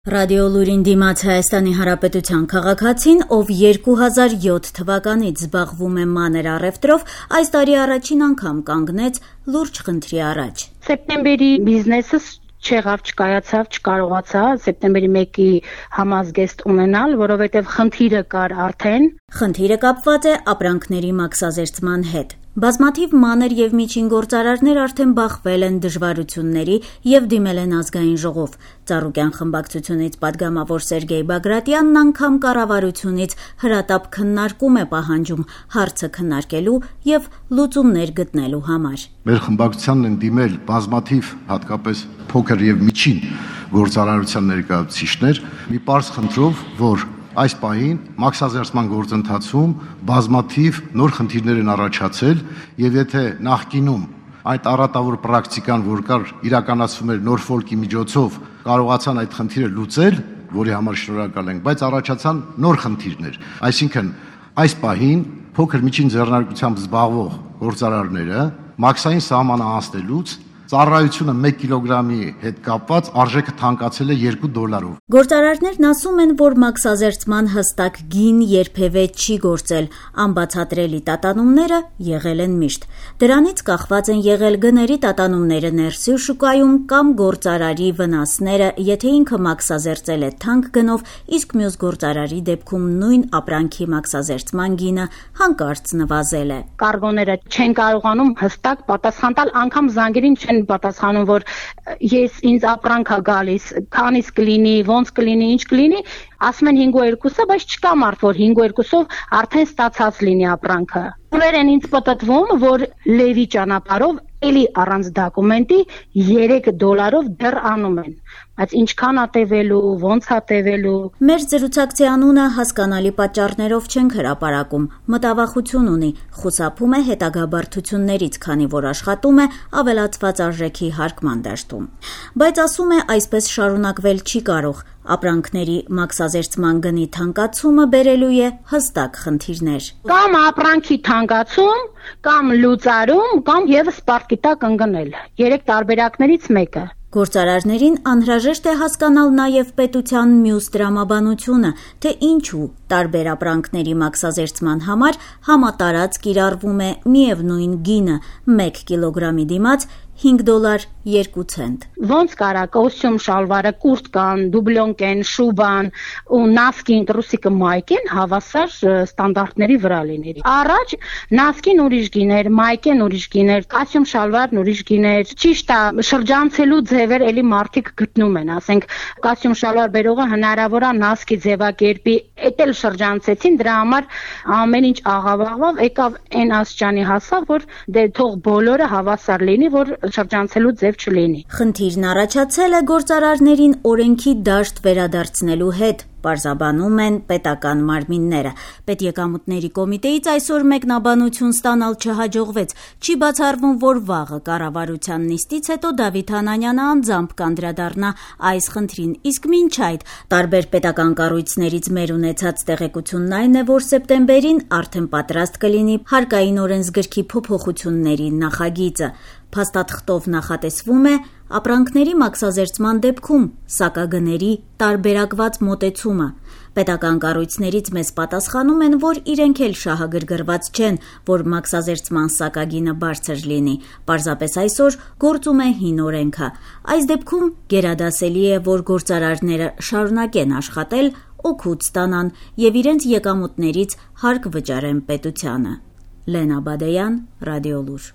Ռադիոլուրին դիմաց Հայաստանի Հանրապետության քաղաքացին, ով 2007 թվականից զբաղվում է մանր առևտրով, այս տարի առաջին անգամ կանգնեց լուրջ խնդրի առաջ։ Սեպտեմբերի բիզնեսս չկայացավ, չկարողացա սեպտեմբերի 1-ի համազգեստ ունենալ, որովհետև խնդիրը կար արդեն։ Խնդիրը կապված է ապրանքների մաքսազերծման հետ։ Բազմաթիվ մանր եւ միջին գործարարներ արդեն բախվել են դժվարությունների եւ դիմել են ազգային ժողով։ Ծառուկյան խմբակցությունից падգամավոր Սերգեյ Բագրատյանն անգամ կառավարությունից հրատապ քննարկում է պահանջում հարցը քննարկելու եւ լուծումներ գտնելու համար։ Մեր խմբակցությանն են դիմել բազմաթիվ, հատկապես փոքր եւ միջին գործարարության ներկայացուցիչներ, մի պարզ խնդրով, որ այս պահին մաքսազերծման գործընթացում բազմաթիվ նոր խնդիրներ են առաջացել եւ եթե նախկինում այդ առատավոր պրակտիկան, որ կար իրականացվում էր Նորֆոլկի միջոցով, կարողացան այդ խնդիրը լուծել, որի համար շնորհակալ ենք, բայց առաջացան նոր խնդիրներ։ Այսինքն այս պահին փոքր միջին ձեռնարկությամբ զբաղվող գործարարները մաքսային սահմանը անցնելուց ծառայությունը 1 կիլոգրամի հետ կապված արժեքը թանկացել է $2-ով։ Գործարարներն ասում են, որ մաքսազերծման հստակ գին երբևէ չի գործել, անբացատրելի տատանումները եղել են միշտ։ Դրանից կախված են եղել գների տատանումները ներսի շուկայում կամ գործարարի վնասները, եթե ինքը մաքսազերծել է թանկ գնով, իսկ մյուս գործարարի դեպքում նույն ապրանքի մաքսազերծման գինը հանկարծ նվազել է։ Կարգոները չեն կարողանում հստակ պատասխան տալ, անգամ զանգերին չեն պատասխանում, որ ինձ ապրանք է գալիս, քանից կլինի, ոնց կլինի, ինչ կլինի, ասում են 5.2-ը, բայց չկա մարդ, որ 5.2-ով արդեն ստացած լինի ապրանքը։ Ուներ են ինձ պատտվում, որ լևի ճանապարհով էլի առանց դոկումենտի $3 դեռ անում են, բայց ինչքան է տևելու, ոնց է տևելու։ Մեր զրուցակցի անունը հասկանալի պատճառներով չենք հրապարակում, մտավախություն ունի, խուսափում է հետագա բարդություններից, քանի որ աշխատում է ավելացված արժեքի հարկման դաշտում։ Բայց ասում է, այսպես շարունակվել չի կարող, ապրանքների մաքսազերծման գնի թանկացումը բերելու է հստակ խնդիրներ։ Կամ ապրանքի թանկացում, կամ լուծարում, կամ եւս պարտքի տակ ընկնել։ 3 տարբերակներից մեկը։ Գործարարներին անհրաժեշտ է հասկանալ նաև պետության մյուս տրամաբանությունը, թե ինչու տարբեր ապրանքների մաքսազերծման համար համատարած կիրառվում է միևնույն գինը 1 կիլոգրամի դիմաց $5.2։ Ոնց կարա կոստյում շալվարը, կուրտկան, դուբլոնկեն, շուբան ու նասկին, տրուսիկը մայկեն հավասար ստանդարտների վրա լինի։ Առաջ նասկին ուրիշ գիներ, մայկեն ուրիշ գիներ, կոստյում շալվարն ուրիշ գիներ։ Ճիշտ է, շրջանցելու ձևեր էլի մարդիկ գտնում են, ասենք կոստյում շալվար բերողը հնարավոր է նասկի ձևակերպի, էդ էլ շրջանցեցին, դրա համար ամեն ինչ աղավաղվավ, եկավ այն աստիճանի հասավ, որ դե թող բոլորը հավասար լինի, որ շրջանցելու ձև չլինի։ Խնդիրն առաջացել է գործարարներին օրենքի դաշտ վերադարձնելու հետ, պարզաբանում են պետական մարմինները։ Պետեկամուտների կոմիտեից այսօր մեկնաբանություն ստանալ չհաջողվեց։ Չի բացառվում, որ վաղը կառավարության նիստից հետո Դավիթ Անանյանը անձամբ կանդրադառնա այս խնդրին, իսկ մինչ այդ տարբեր պետական կառույցներից մեր ունեցած տեղեկությունն այն է, որ սեպտեմբերին արդեն պատրաստ կլինի հարկային օրենսգրքի փոփոխությունների նախագիծը։ Փաստաթղթով նախատեսվում է ապրանքների մաքսազերծման դեպքում սակագների տարբերակված մոտեցումը։ Պետական կառույցներից մեզ պատասխանում են, որ իրենք էլ շահագրգռված չեն, որ մաքսազերծման սակագինը բարձր լինի, պարզապես այսօր գործում է հին օրենքը։ Այս դեպքում գերադասելի է, որ գործարարները շարունակեն աշխատել, օգուտ ստանան եւ իրենց եկամուտներից հարկ վճարեն պետությանը։ Լենա Բադեյան, Ռադիոլուր։